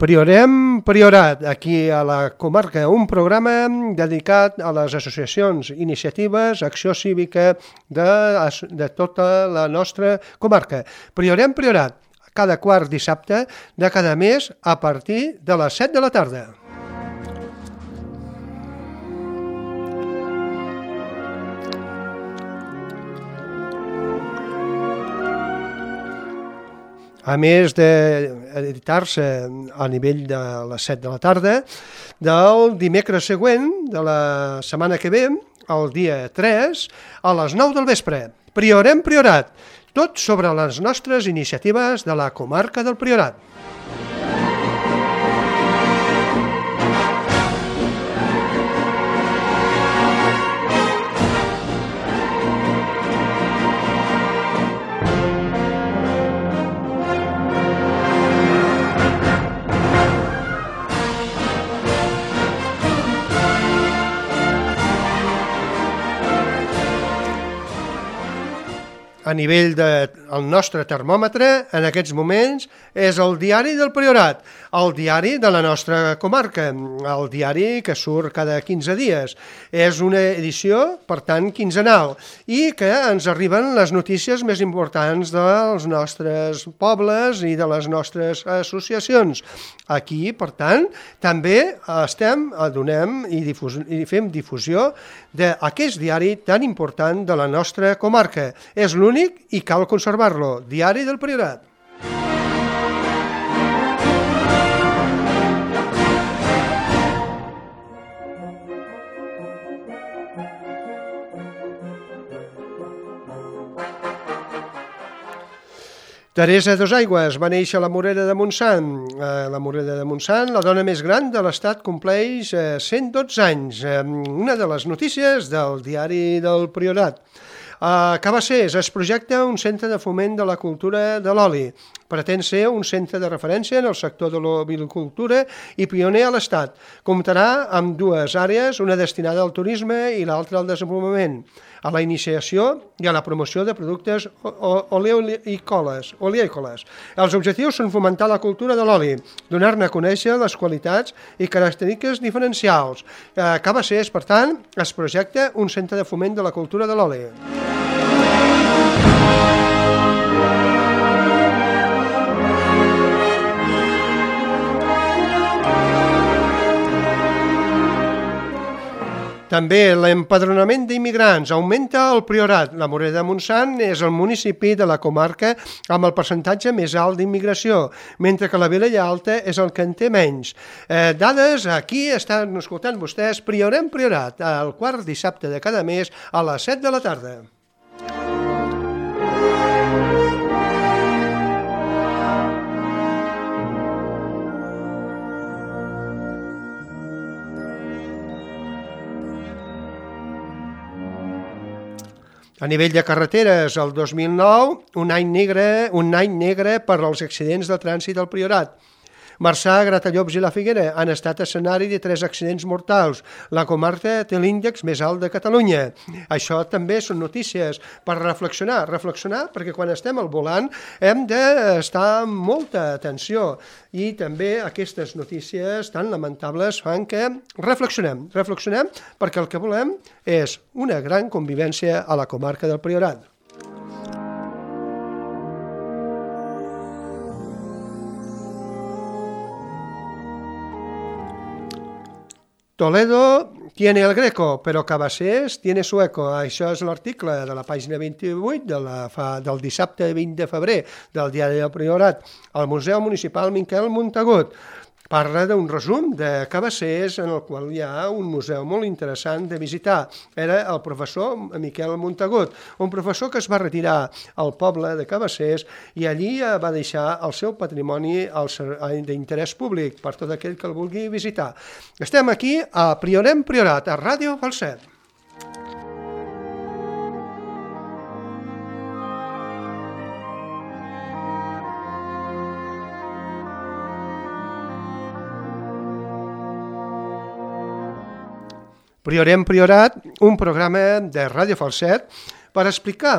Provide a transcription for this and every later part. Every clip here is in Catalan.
Priorem Priorat, aquí a la comarca, un programa dedicat a les associacions, iniciatives, acció cívica de tota la nostra comarca. Priorem Priorat, cada quart dissabte de cada mes a partir de les 7 de la tarda. A més d'editar-se a nivell de les 7 de la tarda, del dimecres següent de la setmana que ve, el dia 3, a les 9 del vespre. Priorem Priorat, tot sobre les nostres iniciatives de la comarca del Priorat. A nivell del nostre termòmetre, en aquests moments, és el diari del Priorat, el diari de la nostra comarca, el diari que surt cada 15 dies. És una edició, per tant, quinzenal, i que ens arriben les notícies més importants dels nostres pobles i de les nostres associacions. Aquí, per tant, també donem i fem difusió d'aquest diari tan important de la nostra comarca. És l'únic i cal conservar-lo. Diari del Priorat. Teresa Dosaigües va néixer a la Morera de Montsant. La Morera de Montsant, la dona més gran de l'Estat, compleix 112 anys. Una de les notícies del diari del Priorat. A Cabassers es projecta un centre de foment de la cultura de l'oli. Pretén ser un centre de referència en el sector de l'ovicultura i pioner a l'Estat. Comptarà amb dues àrees, una destinada al turisme i l'altra al desenvolupament, a la iniciació i a la promoció de productes oleícoles. Els objectius són fomentar la cultura de l'oli, donar-ne a conèixer les qualitats i característiques diferencials. A Cabassers, per tant, es projecta un centre de foment de la cultura de l'oli. També l'empadronament d'immigrants augmenta al Priorat. La Morera de Montsant és el municipi de la comarca amb el percentatge més alt d'immigració, mentre que la Vilella Alta és el que en té menys. Dades, aquí estan escoltant vostès Priorem Priorat, el quart dissabte de cada mes a les 7 de la tarda. A nivell de carreteres, el 2009, un any negre per als accidents de trànsit al Priorat. Marçà, Gratallops i la Figuera han estat escenari de 3 accidents mortals. La comarca té l'índex més alt de Catalunya. Això també són notícies per reflexionar, perquè quan estem al volant hem d'estar amb molta atenció i també aquestes notícies tan lamentables fan que reflexionem perquè el que volem és una gran convivència a la comarca del Priorat. Toledo tiene el greco, però Cabassers tiene sueco. Això és l'article de la pàgina 28 del dissabte 20 de febrer del diari del Priorat. El Museu Municipal Miquel Montagut parla d'un resum de Cabassers en el qual hi ha un museu molt interessant de visitar. Era el professor Miquel Montagut, un professor que es va retirar al poble de Cabassers i allí va deixar el seu patrimoni d'interès públic per tot aquell que el vulgui visitar. Estem aquí a Priorem Priorat, a Ràdio Falset. Priorem Priorat, un programa de Ràdio Falset per explicar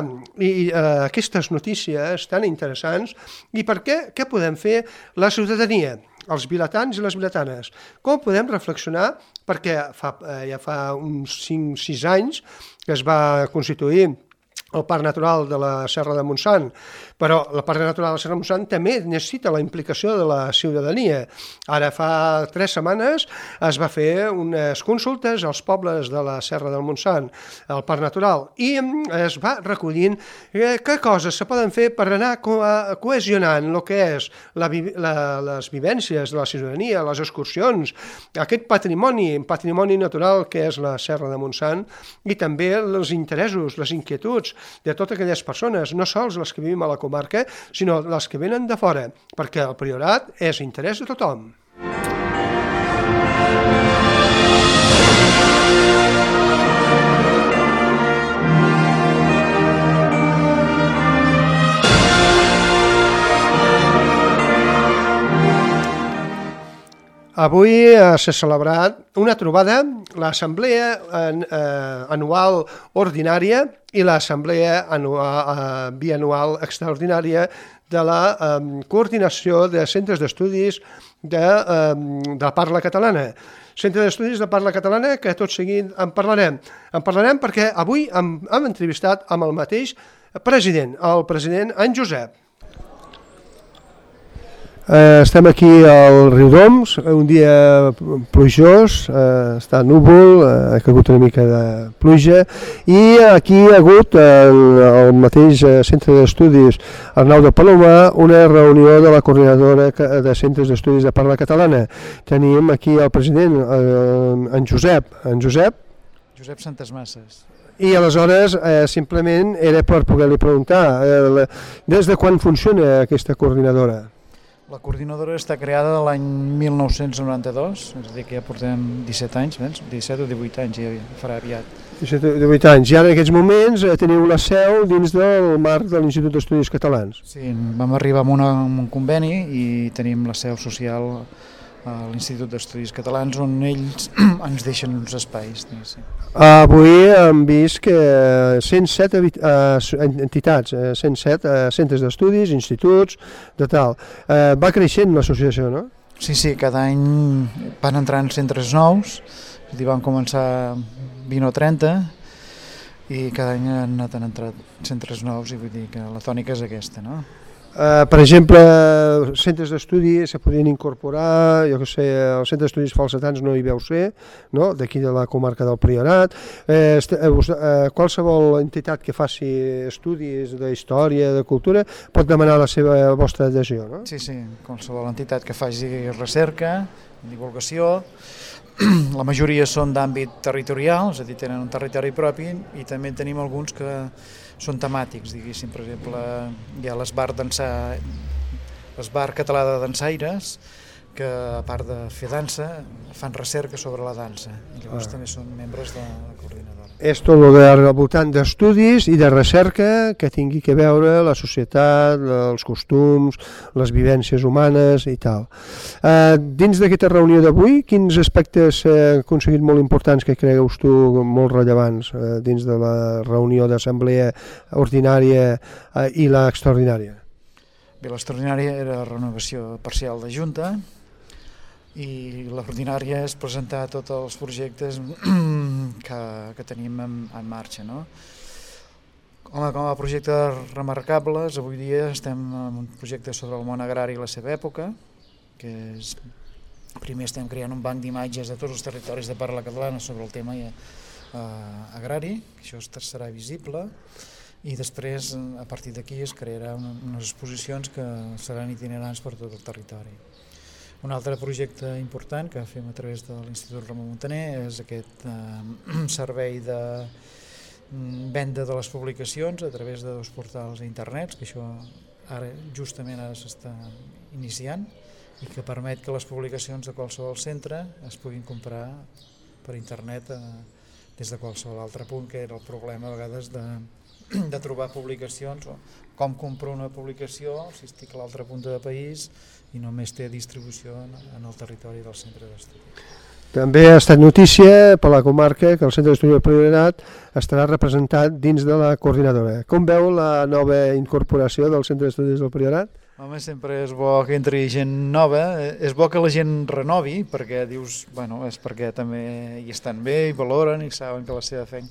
aquestes notícies tan interessants i per què podem fer la ciutadania. els vilatans i les vilatanes. Com podem reflexionar? Perquè ja fa uns 5-6 anys que es va constituir el Parc Natural de la Serra de Montsant, però el Parc Natural de la Serra de Montsant també necessita la implicació de la ciutadania. Ara fa 3 setmanes es va fer unes consultes als pobles de la Serra del Montsant, al Parc Natural, i es va recollint què coses se poden fer per anar cohesionant el que és les vivències de la ciutadania, les excursions, aquest patrimoni natural que és la Serra de Montsant, i també els interessos, les inquietuds de totes aquelles persones, no sols les que vivim a la comarca, sinó les que venen de fora, perquè el Priorat és interès de tothom. Avui s'ha celebrat una trobada, l'Assemblea Anual Ordinària i l'Assemblea Bianual Extraordinària de la Coordinació de Centres d'Estudis de Parla Catalana. Centre d'Estudis de Parla Catalana, que tot seguit en parlarem. En parlarem perquè avui hem entrevistat amb el mateix president, el president en Josep. Estem aquí al Riudoms, un dia plujós, està núvol, ha caigut una mica de pluja, i aquí ha hagut al mateix centre d'estudis Arnau de Palomar una reunió de la coordinadora de centres d'estudis de parla catalana. Tenim aquí el president, en Josep Santasmasses. I aleshores simplement era per poder-li preguntar des de quan funciona aquesta coordinadora? La coordinadora està creada l'any 1992, és a dir, que ja portem 17 anys, 17 o 18 anys, ja farà aviat. 17 o 18 anys, i ara en aquests moments teniu la seu dins del marc de l'Institut d'Estudis Catalans. Sí, vam arribar amb un conveni i tenim la seu social a l'Institut d'Estudis Catalans, on ells ens deixen uns espais. Avui hem vist que 107 entitats, 107 centres d'estudis, instituts, de tal. Va creixent l'associació, no? Sí, cada any van entrant centres nous, és a dir, van començar 20 o 30, i cada any han entrat centres nous, i vull dir que la tònica és aquesta, no? Per exemple, centres d'estudi se podrien incorporar, jo que sé, els centres d'estudis falsetans no hi veu ser, no? D'aquí de la comarca del Priorat. Qualsevol entitat que faci estudis de història, de cultura, pot demanar la vostra adhesió, no? Sí, qualsevol entitat que faci recerca, divulgació. La majoria són d'àmbit territorial, és a dir, tenen un territori propi, i també tenim alguns que són temàtics, diguéssim. Per exemple, hi ha l'Esbar Català de Dansaires, que a part de fer dansa, fan recerca sobre la dansa, i llavors també són membres de la coordinadora. És tot al voltant d'estudis i de recerca que tingui que veure la societat, els costums, les vivències humanes i tal. Dins d'aquesta reunió d'avui, quins aspectes s'han aconseguit molt importants que creus tu molt rellevants dins de la reunió d'assemblea ordinària i l'extraordinària? Bé, l'extraordinària era la renovació parcial de Junta, i l'ordinària és presentar tots els projectes que tenim en marxa, no? Com a projectes remarcables, avui dia estem en un projecte sobre el món agrari i la seva època, que és, primer estem creant un banc d'imatges de tots els territoris de parla catalana sobre el tema agrari, això serà visible, i després, a partir d'aquí, es crearà unes exposicions que seran itinerants per tot el territori. Un altre projecte important que fem a través de l'Institut Ramon Muntaner és aquest servei de venda de les publicacions a través de 2 portals a internet, que això justament ara s'està iniciant, i que permet que les publicacions de qualsevol centre es puguin comprar per internet des de qualsevol altre punt, que era el problema a vegades de trobar publicacions, o com compro una publicació si estic a l'altre punt del país i només té distribució en el territori del centre d'estudi. També ha estat notícia per la comarca que el centre d'estudi del Priorat estarà representat dins de la coordinadora. Com veu la nova incorporació del centre d'estudis del Priorat? Home, sempre és bo que entri gent nova, és bo que la gent renovi, perquè dius, bueno, és perquè també hi estan bé, hi valoren i saben que la seva feina,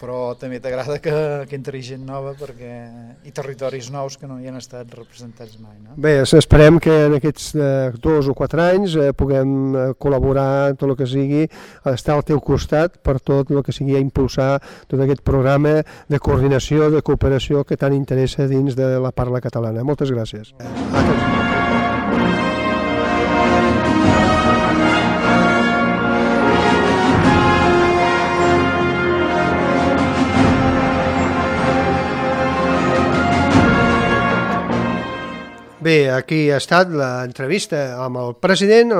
però també t'agrada que entri gent nova i territoris nous que no hi han estat representats mai. No? Bé, esperem que en aquests 2 o 4 anys puguem col·laborar tot el que sigui, estar al teu costat per tot el que sigui impulsar tot aquest programa de coordinació, de cooperació que tant interessa dins de la parla catalana. Moltes gràcies. Bé, aquí ha estat l'entrevista amb el president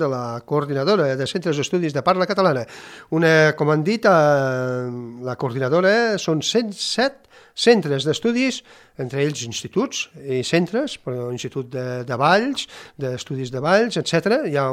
de la coordinadora de centres d'estudis de parla catalana. Com han dit, la coordinadora són 107 centres d'estudis, entre ells instituts i centres, institut de Valls, d'estudis de Valls, etc. Hi ha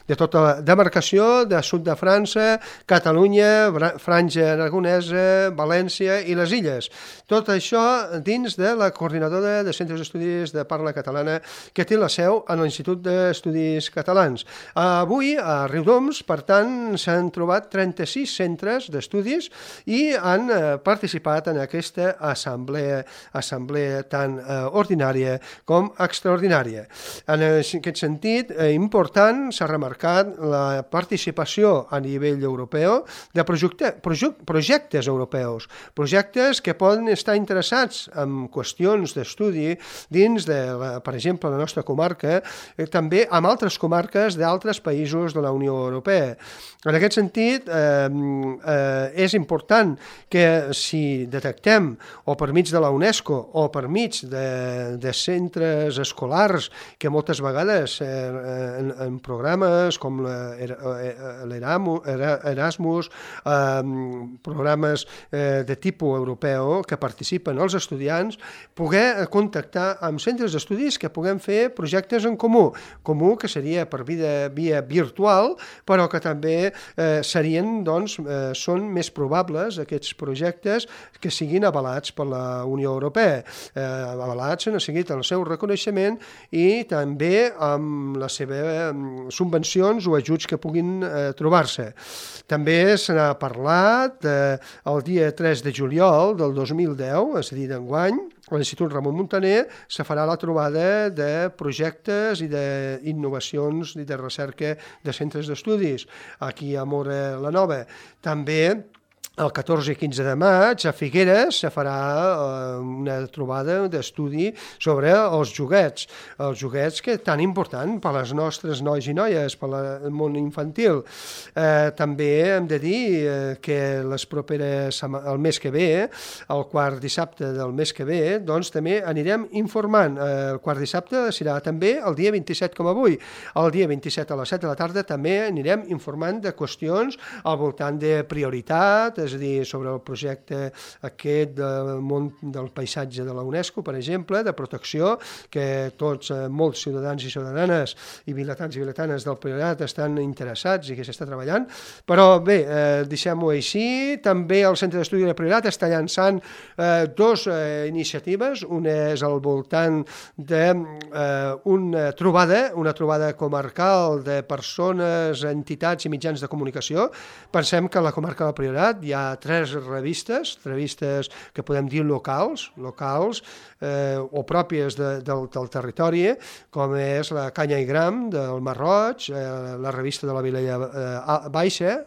de tota la demarcació de sud de França, Catalunya, Franja Aragonesa, València i les Illes. Tot això dins de la coordinadora de centres d'estudis de parla catalana que té la seu en l'Institut d'Estudis Catalans. Avui, a Riudoms, per tant, s'han trobat 36 centres d'estudis i han participat en aquesta assemblea tant ordinària com extraordinària. En aquest sentit, important, s'ha remarcat la participació a nivell europeu de projectes europeus, projectes que poden estar interessats en qüestions d'estudi dins de, per exemple, la nostra comarca, també amb altres comarques d'altres països de la Unió Europea. En aquest sentit, és important que si detectem, o per mig de la UNESCO, o per mig de centres escolars, que moltes vegades en programes com l'Erasmus, programes de tipus europeu que participen els estudiants, poder contactar amb centres d'estudis que puguem fer projectes en comú que seria per via virtual, però que també són més probables aquests projectes que siguin avalats per la Unió Europea. Avalats en seguit el seu reconeixement i també amb les seves subvencions o ajuts que puguin trobar-se. També se n'ha parlat el dia 3 de juliol del 2010, és a dir, d'enguany, a l'Institut Ramon Muntaner se farà la trobada de projectes i d'innovacions i de recerca de centres d'estudis aquí a Móra la Nova. També el 14 i 15 de maig a Figueres se farà una trobada d'estudi sobre els joguets que tan important per als nostres nois i noies, per al món infantil. També hem de dir que el mes que ve, el quart dissabte del mes que ve, doncs també anirem informant. El quart dissabte serà també el dia 27 com avui. El dia 27 a les 7 de la tarda també anirem informant de qüestions al voltant de prioritat, és a dir, sobre el projecte aquest del món del paisatge de la UNESCO, per exemple, de protecció, que molts ciutadans i ciutadanes i vilatans i vilatanes del Priorat estan interessats i que s'està treballant. Però bé, deixem-ho així. També el Centre d'Estudi del Priorat està llançant dues iniciatives. Una és al voltant d'una trobada comarcal de persones, entitats i mitjans de comunicació. Pensem que a la comarca del Priorat hi ha 3 revistes que podem dir locals o pròpies del territori, com és la Canya i Gram del Marroig, la revista de la Vilella Baixa,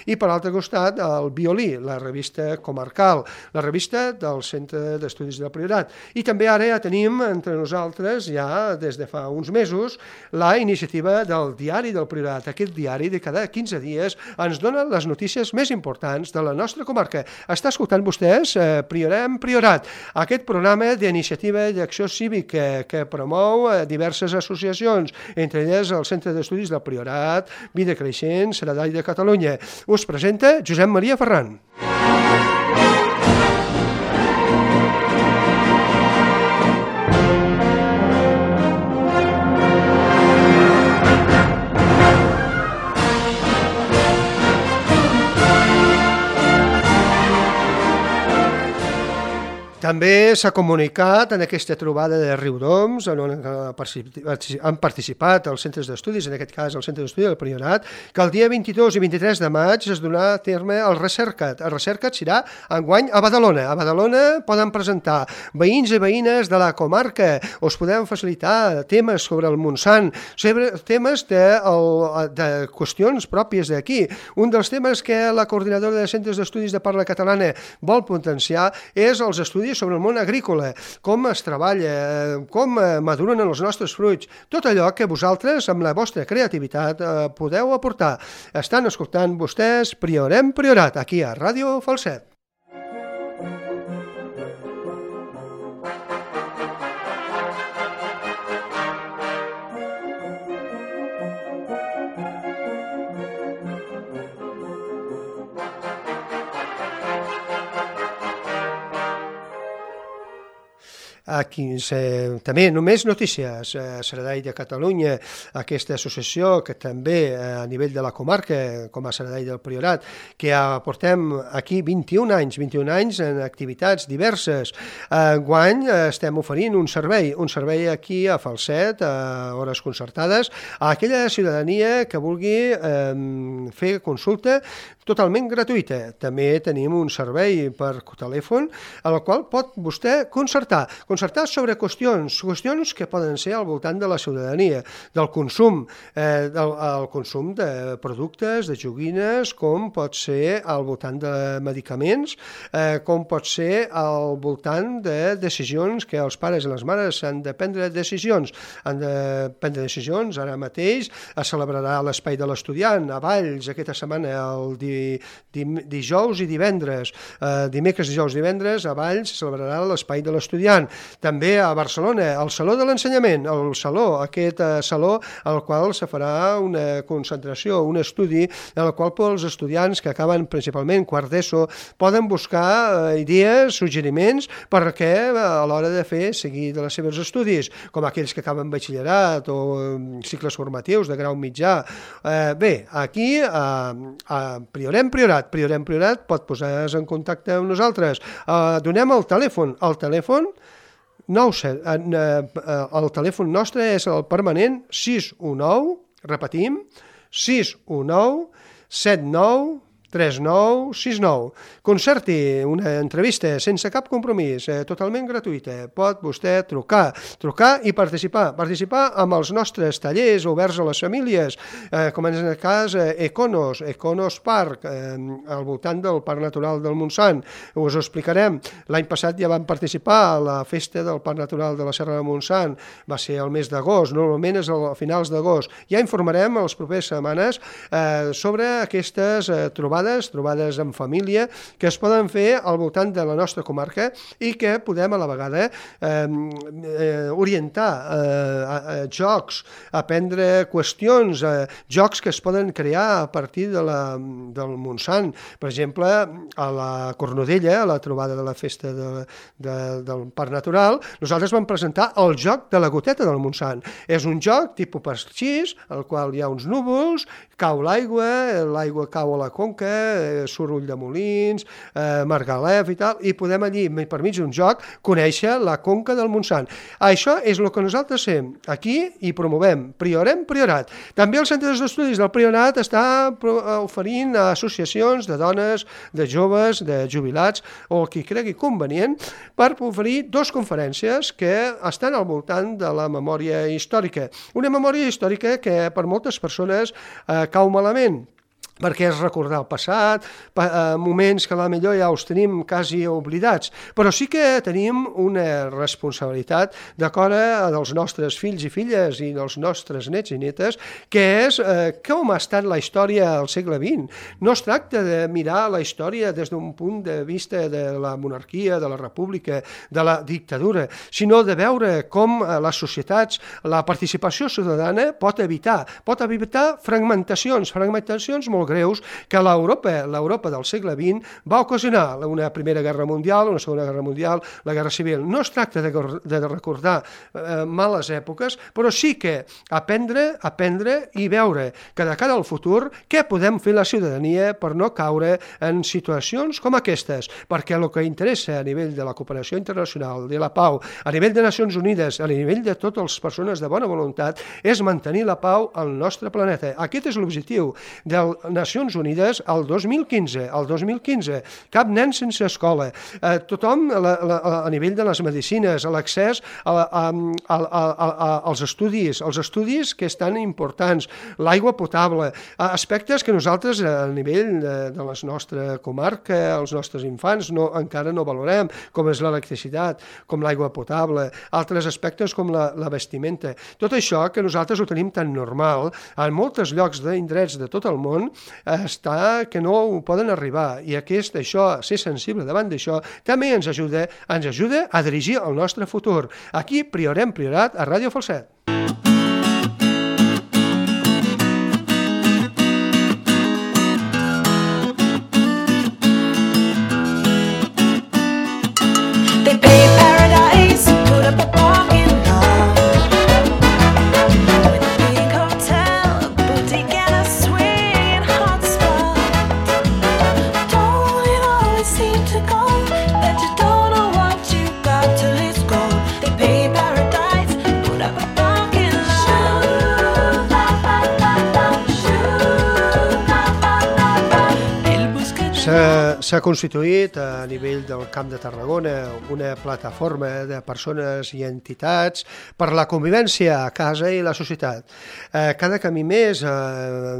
i per l'altre costat el Violí, la revista comarcal, la revista del Centre d'Estudis del Priorat. I també ara ja tenim entre nosaltres, ja des de fa uns mesos, la iniciativa del Diari del Priorat. Aquest diari de cada 15 dies ens dona les notícies més importants de la nostra comarca. Està escoltant vostès Priorem Priorat, aquest programa d'iniciativa i d'acció cívica que promou diverses associacions, entre elles el Centre d'Estudis del Priorat, Vida Creixent, Saradall de Catalunya. Us presenta Josep Maria Ferran. També s'ha comunicat en aquesta trobada de Riudoms, on han participat els centres d'estudis, en aquest cas el centre d'estudi del Priorat, que el dia 22 i 23 de maig es donarà a terme el Recercat. El Recercat serà enguany a Badalona. A Badalona poden presentar veïns i veïnes de la comarca, us podem facilitar temes sobre el Montsant, temes de qüestions pròpies d'aquí. Un dels temes que la coordinadora de centres d'estudis de parla catalana vol potenciar és els estudis sobre el món agrícola, com es treballa, com maduren els nostres fruits, tot allò que vosaltres, amb la vostra creativitat, podeu aportar. Estan escoltant vostès Priorem Priorat, aquí a Ràdio Falset. Aquí, també només notícies. Saradell de Catalunya, aquesta associació que també a nivell de la comarca, com a Saradell del Priorat, que portem aquí 21 anys en activitats diverses. Enguany estem oferint un servei aquí a Falset, a hores concertades, a aquella ciutadania que vulgui fer consulta totalment gratuïta. També tenim un servei per telèfon al qual pot vostè concertar sobre qüestions que poden ser al voltant de la ciutadania, del consum, el consum de productes, de joguines, com pot ser al voltant de medicaments, com pot ser al voltant de decisions que els pares i les mares han de prendre decisions. Han de prendre decisions. Ara mateix es celebrarà l'Espai de l'Estudiant a Valls aquesta setmana, el dijous i divendres. Dimecres, dijous i divendres a Valls se celebrarà l'Espai de l'Estudiant. També a Barcelona, el Saló de l'Ensenyament, aquest saló al qual se farà una concentració, un estudi en el qual els estudiants que acaben principalment quart d'ESO poden buscar idees, suggeriments perquè a l'hora de seguir de les seves estudis, com aquells que acaben batxillerat o cicles formatius de grau mitjà. Bé, aquí a Priorem Priorat pot posar-se en contacte amb nosaltres. Donem el telèfon. El telèfon nostre és el permanent 619, repetim, 619 79 3969. Concerti una entrevista sense cap compromís, totalment gratuïta. Pot vostè trucar i participar amb els nostres tallers oberts a les famílies, com en el cas Econos Park, al voltant del Parc Natural del Montsant. Us ho explicarem. L'any passat ja vam participar a la festa del Parc Natural de la Serra de Montsant. Va ser el mes d'agost, normalment és a finals d'agost. Ja informarem les properes setmanes sobre aquestes trobades en família que es poden fer al voltant de la nostra comarca i que podem a la vegada orientar jocs, aprendre qüestions, jocs que es poden crear a partir del Montsant. Per exemple, a la Cornudella, a la trobada de la festa del Parc Natural, nosaltres vam presentar el joc de la goteta del Montsant. És un joc tipus pasquís, al qual hi ha uns núvols, cau l'aigua cau a la conca, surt Ulldemolins, Margalef i tal, i podem allí, per mig d'un joc, conèixer la conca del Montsant. Això és el que nosaltres fem aquí i promovem. Priorem Priorat. També el Centre d'Estudis del Priorat està oferint a associacions de dones, de joves, de jubilats, o qui cregui convenient, per oferir 2 conferències que estan al voltant de la memòria històrica. Una memòria històrica que per moltes persones cau malament, perquè és recordar el passat, moments que potser ja els tenim quasi oblidats, però sí que tenim una responsabilitat d'acord dels nostres fills i filles i dels nostres nets i netes, que és com ha estat la història al segle XX. No es tracta de mirar la història des d'un punt de vista de la monarquia, de la república, de la dictadura, sinó de veure com les societats, la participació ciutadana pot evitar fragmentacions molt greus que l'Europa del segle XX va ocasionar una Primera Guerra Mundial, una Segona Guerra Mundial, la Guerra Civil. No es tracta de recordar males èpoques, però sí que aprendre i veure que de cara al futur què podem fer la ciutadania per no caure en situacions com aquestes, perquè el que interessa a nivell de la cooperació internacional, de la pau, a nivell de Nacions Unides, a nivell de totes les persones de bona voluntat, és mantenir la pau al nostre planeta. Aquest és l'objectiu de Nacions Unides al 2015. Al 2015, cap nen sense escola, tothom a nivell de les medicines, a l'accés als estudis que estan importants, l'aigua potable, aspectes que nosaltres a nivell de la nostra comarca, els nostres infants, encara no valorem, com és l'electricitat, com l'aigua potable, altres aspectes com la vestimenta. Tot això que nosaltres ho tenim tan normal, en molts llocs d'indrets de tot el món està que no ho poden arribar, i ser sensible davant d'això també ens ajuda a dirigir el nostre futur. Aquí Priorat a Ràdio Falset. S'ha constituït a nivell del Camp de Tarragona una plataforma de persones i entitats per la convivència a casa i la societat. Cada camí més,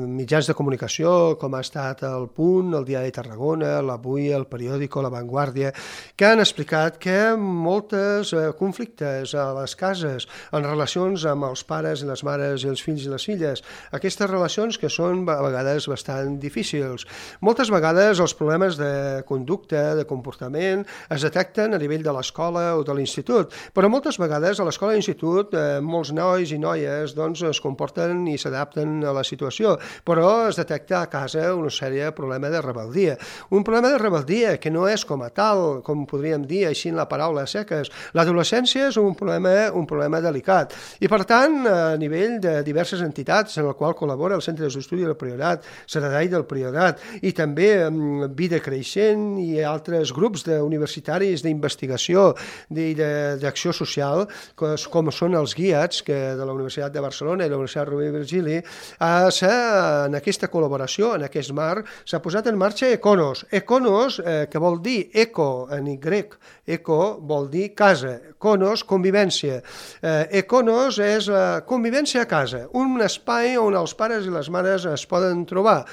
mitjans de comunicació, com ha estat el Punt, el Diari de Tarragona, l'Avui, el Periòdico, la Vanguardia, que han explicat que molts conflictes a les cases, en relacions amb els pares i les mares i els fills i les filles, aquestes relacions que són a vegades bastant difícils. Moltes vegades els problemes de conducta, de comportament, es detecten a nivell de l'escola o de l'institut, però moltes vegades a l'escola i l'institut molts nois i noies es comporten i s'adapten a la situació, però es detecta a casa una sèrie de problemes de rebeldia. Un problema de rebeldia que no és com a tal, com podríem dir així en la paraula seques. L'adolescència és un problema delicat i per tant a nivell de diverses entitats en el qual col·labora el Centre d'Estudi del Priorat, Saradai del Priorat i també Vida Creixent i altres grups universitaris d'investigació i d'acció social, com són els guiats de la Universitat de Barcelona i la Universitat Rovira i Virgili, en aquesta col·laboració, en aquest marc, s'ha posat en marxa Econos. Econos, que vol dir eco en Y, eco vol dir casa, conos, convivència. Econos és convivència a casa, un espai on els pares i les mares es poden trobar.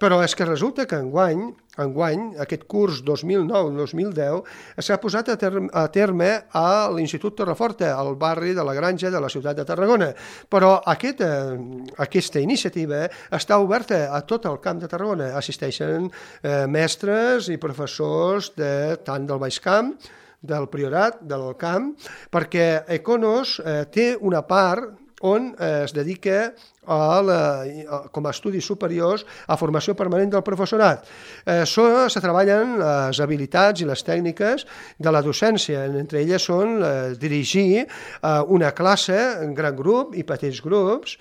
Però és que resulta que enguany, aquest curs 2009-2010, s'ha posat a terme a l'Institut Torreforta, al barri de la Granja de la ciutat de Tarragona. Però aquesta iniciativa està oberta a tot el Camp de Tarragona. Assisteixen mestres i professors tant del Baix Camp, del Priorat, del Camp, perquè Econos té una part on es dedica com a estudis superiors a formació permanent del professorat. Se treballen les habilitats i les tècniques de la docència, entre elles són dirigir una classe en gran grup i petits grups,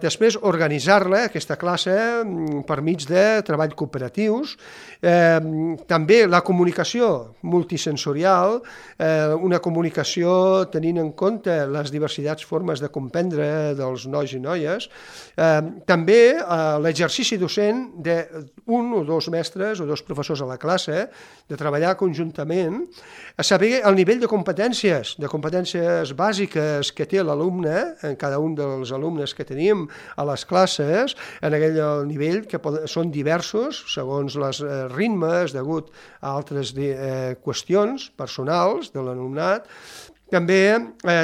després organitzar-la, aquesta classe, per mig de treball cooperatius, també la comunicació multisensorial, una comunicació tenint en compte les diversitats formes de comprendre dels nois i noies, també l'exercici docent d'un o dos mestres o dos professors a la classe, de treballar conjuntament, a saber el nivell de competències bàsiques que té l'alumne, en cada un dels alumnes que tenim a les classes, en aquell nivell que són diversos segons els ritmes degut a altres qüestions personals de l'alumnat, també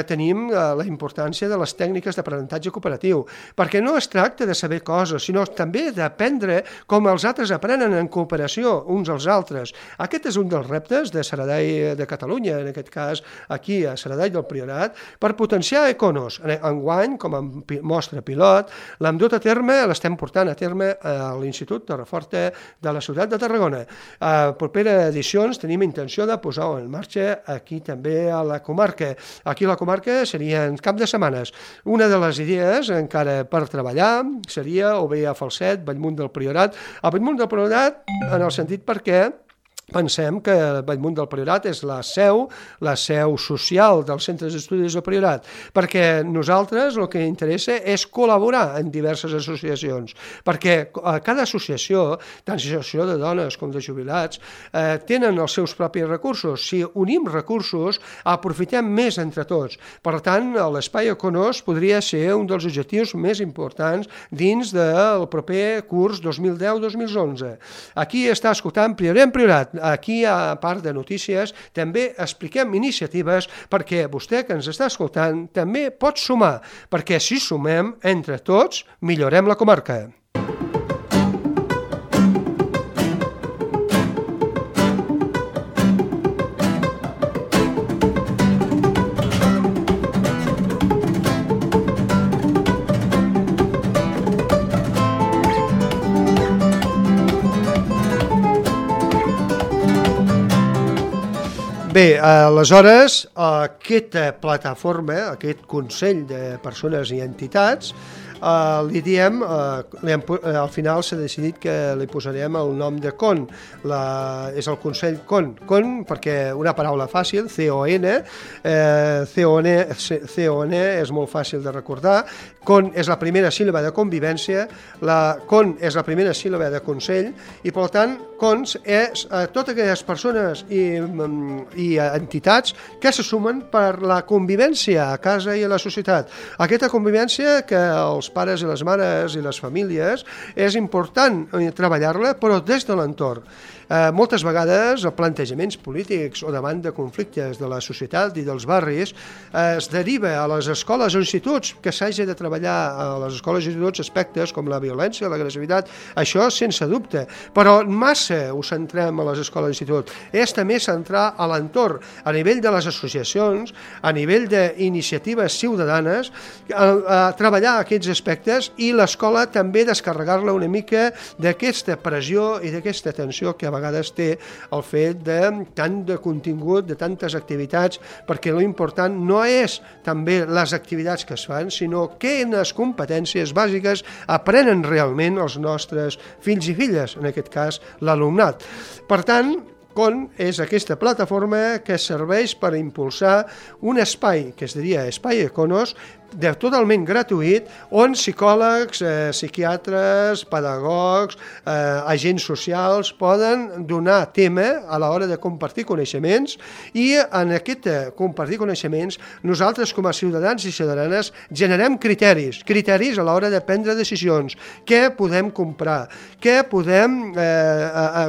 tenim la importància de les tècniques d'aprenentatge cooperatiu, perquè no es tracta de saber coses, sinó també d'aprendre com els altres aprenen en cooperació uns als altres. Aquest és un dels reptes de Saradell de Catalunya, en aquest cas aquí a Saradell del Priorat, per potenciar Econos. Enguany, com a mostra pilot, l'hem dut a terme, l'estem portant a terme a l'Institut Torreforta de la ciutat de Tarragona. A properes edicions tenim intenció de posar-ho en marxa aquí també a la comarca. Aquí a la comarca seria en cap de setmanes. Una de les idees encara per treballar seria o bé a Falset, Bellmunt del Priorat. A Bellmunt del Priorat en el sentit perquè pensem que Bellmunt del Priorat és la seu social dels centres d'estudis del Priorat, perquè nosaltres el que interessa és col·laborar en diverses associacions, perquè cada associació, tant associació de dones com de jubilats, tenen els seus propis recursos. Si unim recursos, aprofitem més entre tots. Per tant, l'espai Econos podria ser un dels objectius més importants dins del proper curs 2010-2011. Aquí està escoltant Priorat en Priorat. Aquí, a part de notícies, també expliquem iniciatives perquè vostè que ens està escoltant també pot sumar, perquè si sumem entre tots millorem la comarca. Bé, aleshores, aquesta plataforma, aquest Consell de Persones i Entitats, li diem, al final s'ha decidit que li posarem el nom de CON, és el Consell CON, perquè una paraula fàcil, C-O-N, C-O-N és molt fàcil de recordar, CON és la primera síl·laba de convivència, la CON és la primera síl·laba de consell, i per tant, CONS és totes aquelles persones i entitats que se sumen per la convivència a casa i a la societat. Aquesta convivència que els pares i les mares i les famílies és important treballar-la, però des de l'entorn. Moltes vegades els plantejaments polítics o davant de conflictes de la societat i dels barris es deriva a les escoles o instituts que s'hagi de treballar a les escoles i instituts aspectes com la violència, l'agressivitat, això sense dubte, però massa ho centrem a les escoles i instituts. És també centrar a l'entorn, a nivell de les associacions, a nivell d'iniciatives ciutadanes, a treballar aquests aspectes i l'escola també descarregar-la una mica d'aquesta pressió i d'aquesta tensió que a vegades té el fet de tant de contingut, de tantes activitats, perquè l'important no és també les activitats que es fan, sinó quines competències bàsiques aprenen realment els nostres fills i filles, en aquest cas l'alumnat. Per tant, CON és aquesta plataforma que serveix per impulsar un espai, que es diria Espai Econos, totalment gratuït, on psicòlegs, psiquiatres, pedagogs, agents socials poden donar tema a l'hora de compartir coneixements, i en aquest compartir coneixements nosaltres com a ciutadans i ciutadanes generem criteris a l'hora de prendre decisions, què podem comprar, què podem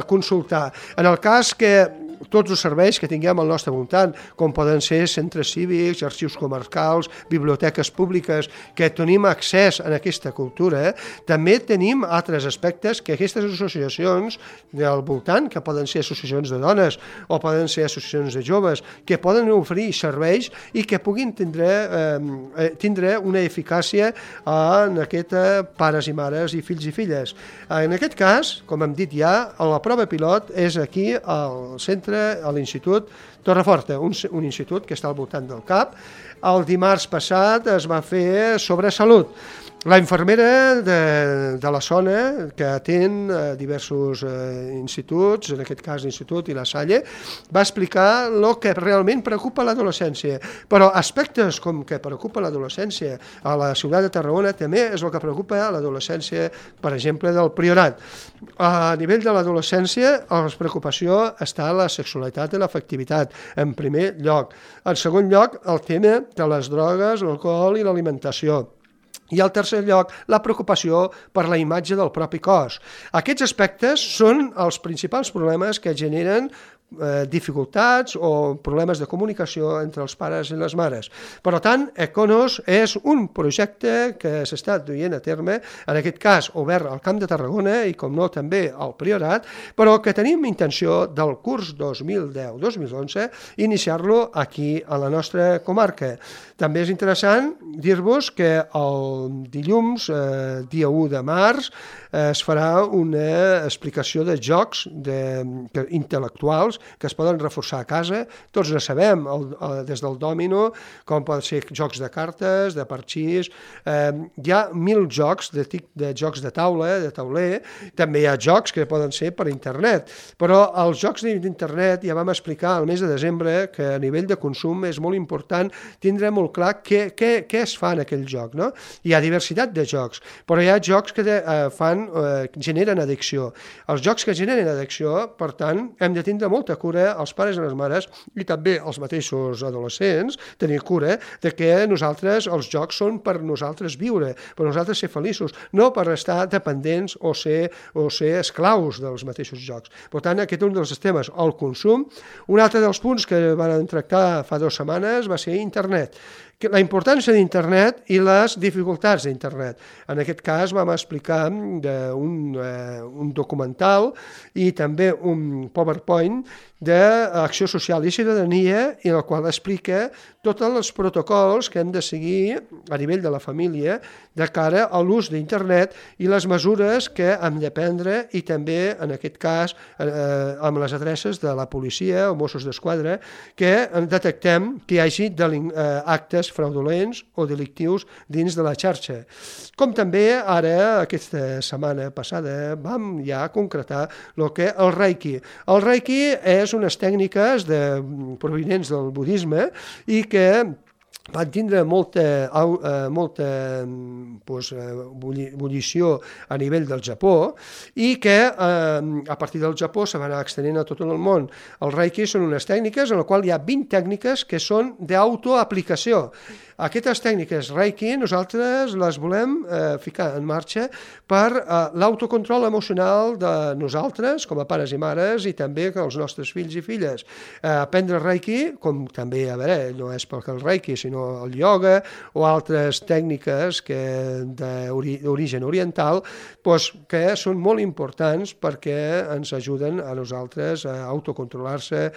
consultar. En el cas que tots els serveis que tinguem al nostre voltant, com poden ser centres cívics, arxius comarcals, biblioteques públiques, que tenim accés a aquesta cultura, també tenim altres aspectes que aquestes associacions del voltant, que poden ser associacions de dones o poden ser associacions de joves, que poden oferir serveis i que puguin tindre una eficàcia en aquests pares i mares i fills i filles. En aquest cas, com hem dit ja, la prova pilot és aquí al centre, a l'Institut Torreforta, un institut que està al voltant del CAP. El dimarts passat es va fer sobre salut. La infermera de la zona, que atén diversos instituts, en aquest cas l'Institut i la Salle, va explicar el que realment preocupa l'adolescència. Però aspectes com que preocupa l'adolescència a la ciutat de Tarragona també és el que preocupa l'adolescència, per exemple, del Priorat. A nivell de l'adolescència, la preocupació està la sexualitat i l'afectivitat, en primer lloc. En segon lloc, el tema de les drogues, l'alcohol i l'alimentació. I al tercer lloc, la preocupació per la imatge del propi cos. Aquests aspectes són els principals problemes que generen dificultats o problemes de comunicació entre els pares i les mares. Per tant, Econos és un projecte que s'està duent a terme, en aquest cas obert al Camp de Tarragona i com no també al Priorat, però que tenim intenció del curs 2010-2011 iniciar-lo aquí a la nostra comarca. També és interessant dir-vos que el dilluns, dia 1 de març, es farà una explicació de jocs intel·lectuals que es poden reforçar a casa. Tots ne sabem, des del dòmino, com poden ser jocs de cartes, de parxís. Hi ha 1.000 jocs de jocs de taula, de tauler. També hi ha jocs que poden ser per internet. Però els jocs d'internet ja vam explicar al mes de desembre que a nivell de consum és molt important tindre molt clar què es fa en aquell joc. No? Hi ha diversitat de jocs, però hi ha jocs que generen addicció. Els jocs que generen addicció, per tant, hem de tindre molta cura, els pares i les mares, i també els mateixos adolescents, tenir cura de que els jocs són per nosaltres viure, per nosaltres ser feliços, no per estar dependents o ser esclaus dels mateixos jocs. Per tant, aquest és un dels temes, el consum. Un altre dels punts que van tractar fa 2 setmanes va ser internet. La importància d'internet i les dificultats d'internet. En aquest cas vam explicar un documental i també un PowerPoint d'Acció Social i Ciutadania, en el qual explica tots els protocols que hem de seguir a nivell de la família de cara a l'ús d'internet i les mesures que hem de prendre, i també, en aquest cas, amb les adreces de la policia o Mossos d'Esquadra, que detectem que hi hagi actes fraudulents o delictius dins de la xarxa. Com també ara, aquesta setmana passada, vam ja concretar el que el Reiki. El Reiki és unes tècniques provinents del budisme i que van tindre molta ebullició a nivell del Japó i que a partir del Japó se va anar extenent a tot el món. El Reiki són unes tècniques en les quals hi ha 20 tècniques que són d'autoaplicació. Aquestes tècniques Reiki nosaltres les volem ficar en marxa per l'autocontrol emocional de nosaltres com a pares i mares i també els nostres fills i filles. Aprendre Reiki, com també, no és perquè el Reiki, sinó el ioga o altres tècniques d'origen oriental, que són molt importants perquè ens ajuden a nosaltres a autocontrolar-se,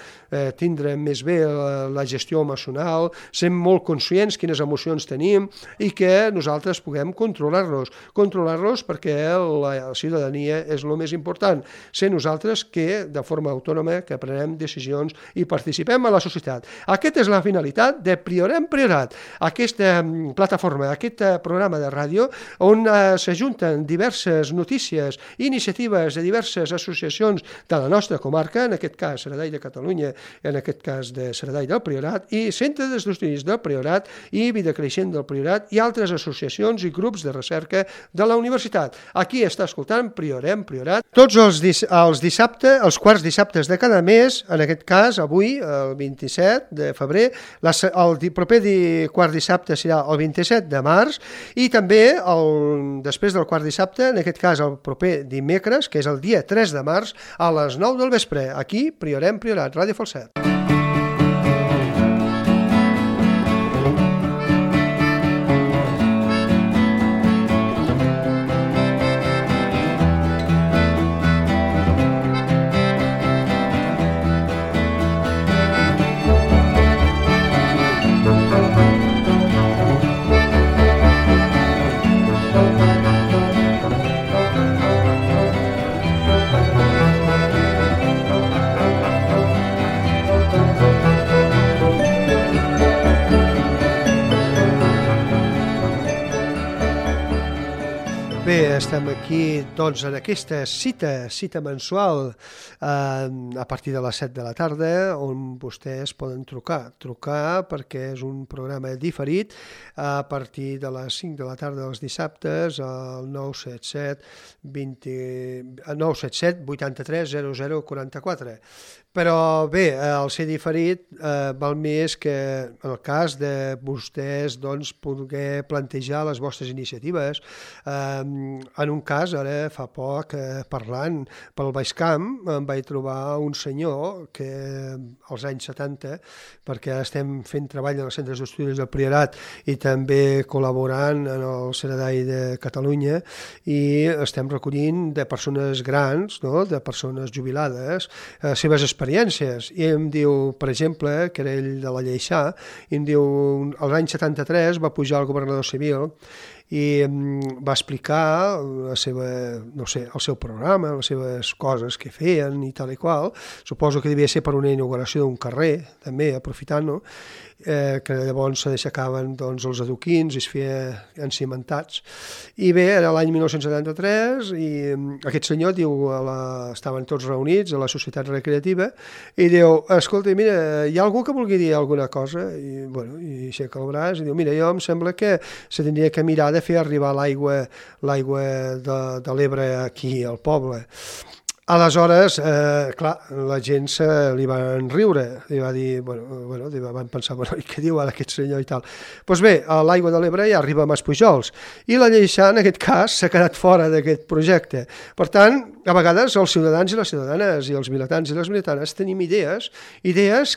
tindre més bé la gestió emocional, ser molt conscients quines emocions tenim i que nosaltres puguem controlar-los perquè la ciutadania és el més important. Ser nosaltres que, de forma autònoma, que prenem decisions i participem a la societat. Aquesta és la finalitat de Priorem Priorat, aquesta plataforma, aquest programa de ràdio on s'ajunten diverses notícies i iniciatives de diverses associacions de la nostra comarca, en aquest cas Saradell de Catalunya, en aquest cas de Saradell del Priorat, i Centre d'Estudis del Priorat i Vida Creixent del Priorat i altres associacions i grups de recerca de la universitat. Aquí està escoltant Priorem Priorat. Tots els dissabtes, els quarts dissabtes de cada mes, en aquest cas avui, el 27 de febrer, el proper quart dissabte serà el 27 de març i també després del quart dissabte, en aquest cas el proper dimecres, que és el dia 3 de març, a les 9 del vespre. Aquí, Priorem Priorat, Ràdio Falset. Bé, estem aquí doncs, en aquesta cita mensual a partir de les 7 de la tarda on vostès poden trucar perquè és un programa diferit a partir de les 5 de la tarda dels dissabtes al 977 83 00 44. Però bé, el ser diferit val més que en el cas de vostès doncs, poder plantejar les vostres iniciatives, en un cas, ara fa poc, parlant pel Baix Camp, em vaig trobar un senyor que als anys 70, perquè estem fent treball en els centres d'estudis del Priorat i també col·laborant en el Ceredai de Catalunya, i estem recollint de persones grans, no?, de persones jubilades, seves experiències. I em diu, per exemple, que era ell de la Lleixà, i em diu, als anys 73 va pujar el governador civil i va explicar la seva, no sé, el seu programa, les seves coses que feien i tal i qual. Suposo que devia ser per una inauguració d'un carrer, també, aprofitant-ho, que llavors se deixacaven doncs, els adoquins i es feia encimentats. I bé, era l'any 1973 i aquest senyor diu, estaven tots reunits a la societat recreativa i diu, escolta, mira, hi ha algú que vulgui dir alguna cosa? I, bueno, i aixeca el braç i diu, mira, jo em sembla que se tindria que mirar de fer arribar l'aigua de l'Ebre aquí al poble. Aleshores, clar, la gent se li van riure, li va dir, bueno, van pensar, i què diu ara aquest senyor i tal. Doncs bé, l'aigua de l'Ebre ja arriba a Maspujols, i la Lleixà, en aquest cas, s'ha quedat fora d'aquest projecte. Per tant, a vegades els ciutadans i les ciutadanes i els vilatans i les vilatanes tenim idees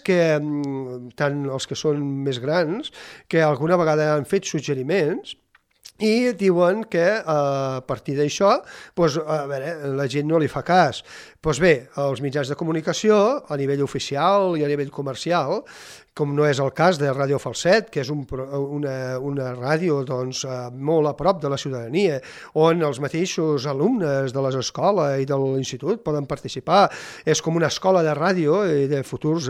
que, tant els que són més grans, que alguna vegada han fet suggeriments, i diuen que a partir d'això la gent no li fa cas. Doncs bé, els mitjans de comunicació, a nivell oficial i a nivell comercial, com no és el cas de Ràdio Falset, que és una ràdio molt a prop de la ciutadania, on els mateixos alumnes de les escoles i de l'institut poden participar. És com una escola de ràdio i de futurs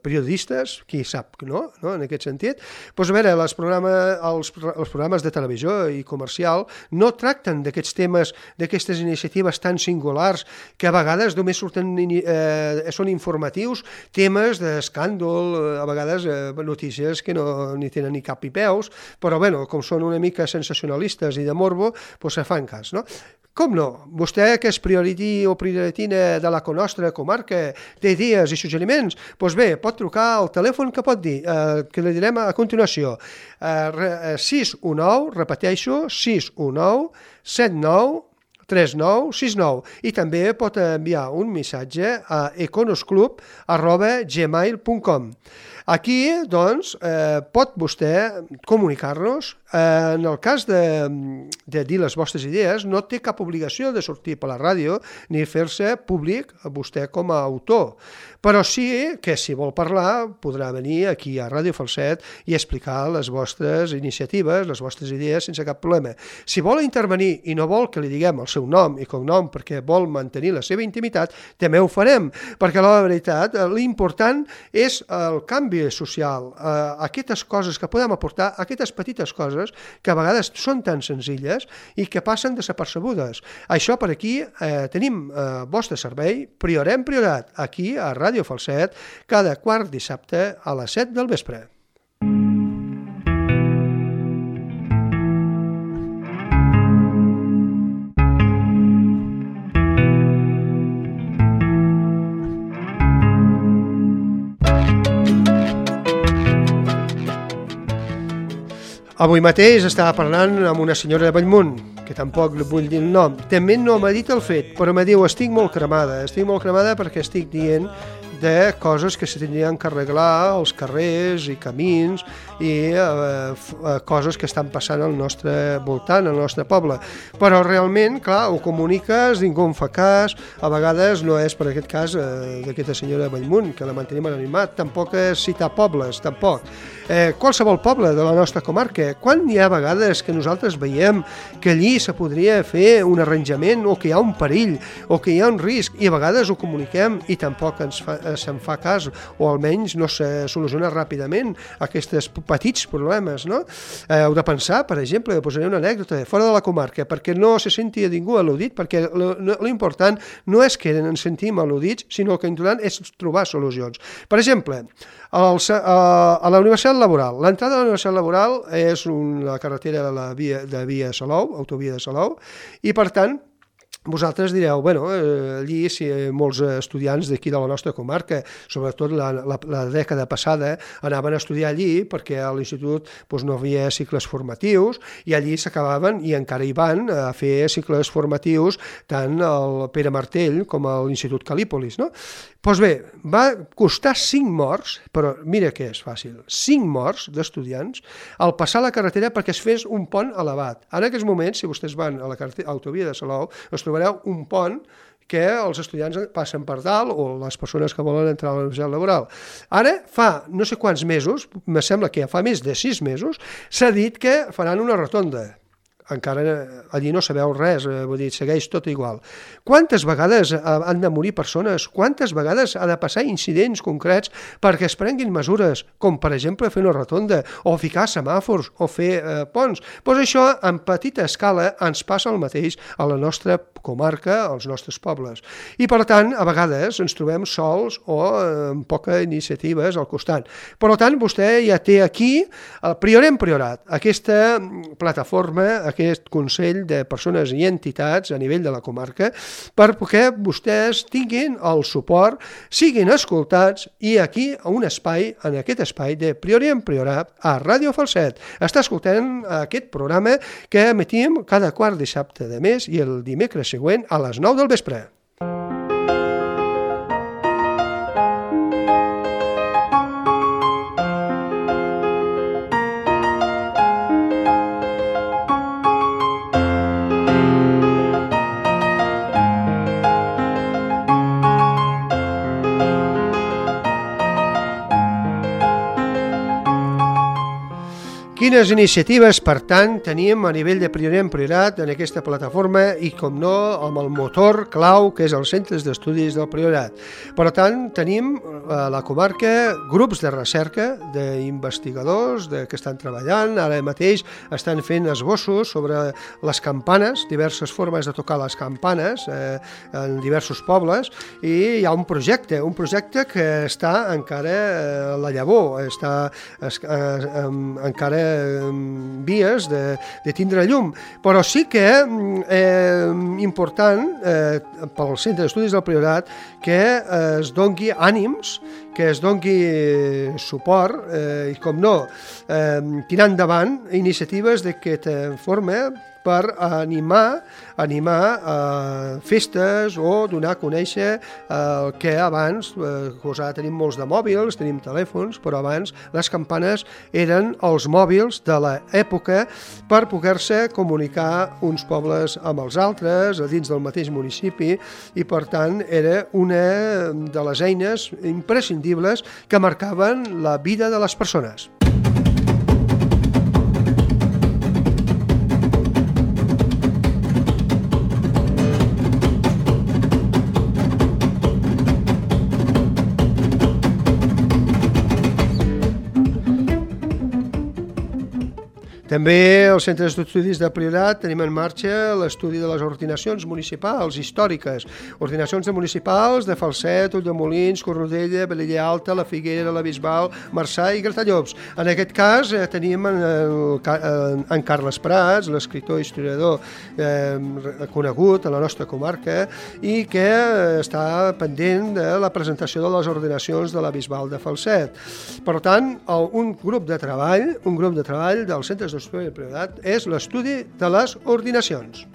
periodistes, qui sap, no? En aquest sentit. Doncs a veure, els programes de televisió i comercial no tracten d'aquests temes, d'aquestes iniciatives tan singulars, que a vegades només són informatius, temes d'escàndol, a vegades notícies que no ni tenen ni cap ni peus, però bueno, com són una mica sensacionalistes i de morbo, doncs se fan cas, no? Com no? Vostè, que és priorití o prioritina de la nostra comarca, té idees i suggeriments, doncs bé, pot trucar al telèfon que pot dir, que li direm a continuació, 619, repeteixo, 619 79 3969, i també pot enviar un missatge a econosclub@gmail.com. Aquí, doncs, pot vostè comunicar-nos. En el cas de dir les vostres idees, no té cap obligació de sortir per la ràdio ni fer-se públic vostè com a autor. Però sí que, si vol parlar, podrà venir aquí a Ràdio Falset i explicar les vostres iniciatives, les vostres idees, sense cap problema. Si vol intervenir i no vol que li diguem el seu nom i cognom perquè vol mantenir la seva intimitat, també ho farem, perquè la veritat, l'important és el canvi social, aquestes coses que podem aportar, aquestes petites coses que a vegades són tan senzilles i que passen desapercebudes. Això per aquí tenim vostre servei, Priorat, aquí a Ràdio Falset, cada quart dissabte a les 7 del vespre. Avui mateix estava parlant amb una senyora de Bellmunt, que tampoc li vull dir el nom. També no m'ha dit el fet, però me diu, estic molt cremada perquè estic dient de coses que se tindrien que arreglar als carrers i camins i coses que estan passant al nostre voltant, al nostre poble. Però realment, clar, ho comuniques, ningú en fa cas, a vegades no és per aquest cas d'aquesta senyora de Bellmunt, que la mantenim en animat, tampoc és citar pobles, tampoc. Qualsevol poble de la nostra comarca, quan hi ha vegades que nosaltres veiem que allí se podria fer un arranjament o que hi ha un perill o que hi ha un risc, i a vegades ho comuniquem i tampoc se'n fa cas, o almenys no se soluciona ràpidament aquests petits problemes, no? Heu de pensar, per exemple, posaré una anècdota fora de la comarca, perquè no se senti a ningú al·ludit, perquè l'important no és que ens sentim al·ludits, sinó que l'important és trobar solucions. Per exemple, a la Universitat Laboral. L'entrada a la Universitat Laboral és una carretera de via Salou, autovia de Salou, i per tant vosaltres direu, bueno, allí si molts estudiants d'aquí de la nostra comarca, sobretot la dècada passada, anaven a estudiar allí perquè a l'institut no havia cicles formatius i allí s'acabaven i encara hi van a fer cicles formatius tant el Pere Martell com a l'Institut Cal·lípolis, no? Doncs bé, va costar 5 morts, però mira que és fàcil, 5 morts d'estudiants al passar la carretera perquè es fes un pont elevat. En aquests moments, si vostès van a la autovia de Salou, us trobareu un pont que els estudiants passen per dalt o les persones que volen entrar a la universitat laboral. Ara, fa no sé quants mesos, me sembla que ja fa més de 6 mesos, s'ha dit que faran una rotonda. Encara allí no sabeu res, vull dir, segueix tot igual. Quantes vegades han de morir persones? Quantes vegades ha de passar incidents concrets perquè es prenguin mesures, com per exemple fer una rotonda, o ficar semàfors, o fer ponts? Doncs això, en petita escala, ens passa el mateix a la nostra comarca, als nostres pobles. I per tant, a vegades ens trobem sols o amb poques iniciatives al costat. Per tant, vostè ja té aquí, el Priorem Priorat, aquesta plataforma, aquest Consell de Persones i Entitats a nivell de la comarca, perquè vostès tinguin el suport, siguin escoltats i aquí un espai, en aquest espai de Priorem Priorat a Ràdio Falset. Està escoltant aquest programa que emetim cada quart dissabte de mes i el dimecres següent a les 9 del vespre. Quines iniciatives, per tant, tenim a nivell de Priorem Priorat en aquesta plataforma i, com no, amb el motor clau que és els centres d'estudis del Priorat. Per tant, tenim a la comarca grups de recerca d'investigadors que estan treballant, ara mateix estan fent esbossos sobre les campanes, diverses formes de tocar les campanes en diversos pobles, i hi ha un projecte que està encara a la llavor, està encara vies de tindre llum, però sí que important pel Centre d'Estudis del Priorat que es dongui ànims, que es dongui suport i, com no, tirar endavant iniciatives d'aquesta forma per animar festes o donar a conèixer el que abans, ara tenim molts de mòbils, tenim telèfons, però abans les campanes eren els mòbils de l'època per poder-se comunicar uns pobles amb els altres, a dins del mateix municipi, i per tant era una de les eines imprescindibles que marcaven la vida de les persones. També als centres d'estudis de Priorat tenim en marxa l'estudi de les ordinacions municipals històriques, ordinacions municipals de Falset, Ulldemolins, Cornudella, Velella Alta, La Figuera, la Bisbal, Marçà i Gratallops. En aquest cas tenim en Carles Prats, l'escriptor i historiador conegut a la nostra comarca i que està pendent de la presentació de les ordinacions de la Bisbal de Falset. Per tant, un grup de treball dels centres d'estudis del Priorat és l'estudi de les ordinacions.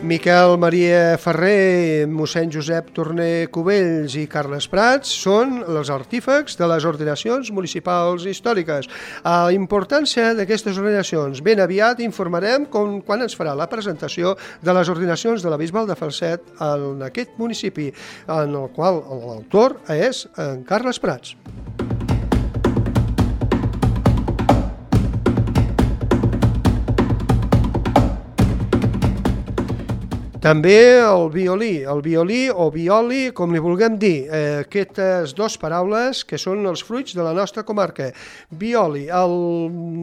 Miquel Maria Ferrer, mossèn Josep Torner Cubells i Carles Prats són els artífecs de les ordinacions municipals històriques. A la importància d'aquestes ordinacions, ben aviat informarem quan ens farà la presentació de les ordinacions de la Bisbal de Falset en aquest municipi, en el qual l'autor és en Carles Prats. També el violí o violi, com li vulguem dir, aquestes dues paraules que són els fruits de la nostra comarca. Violi, el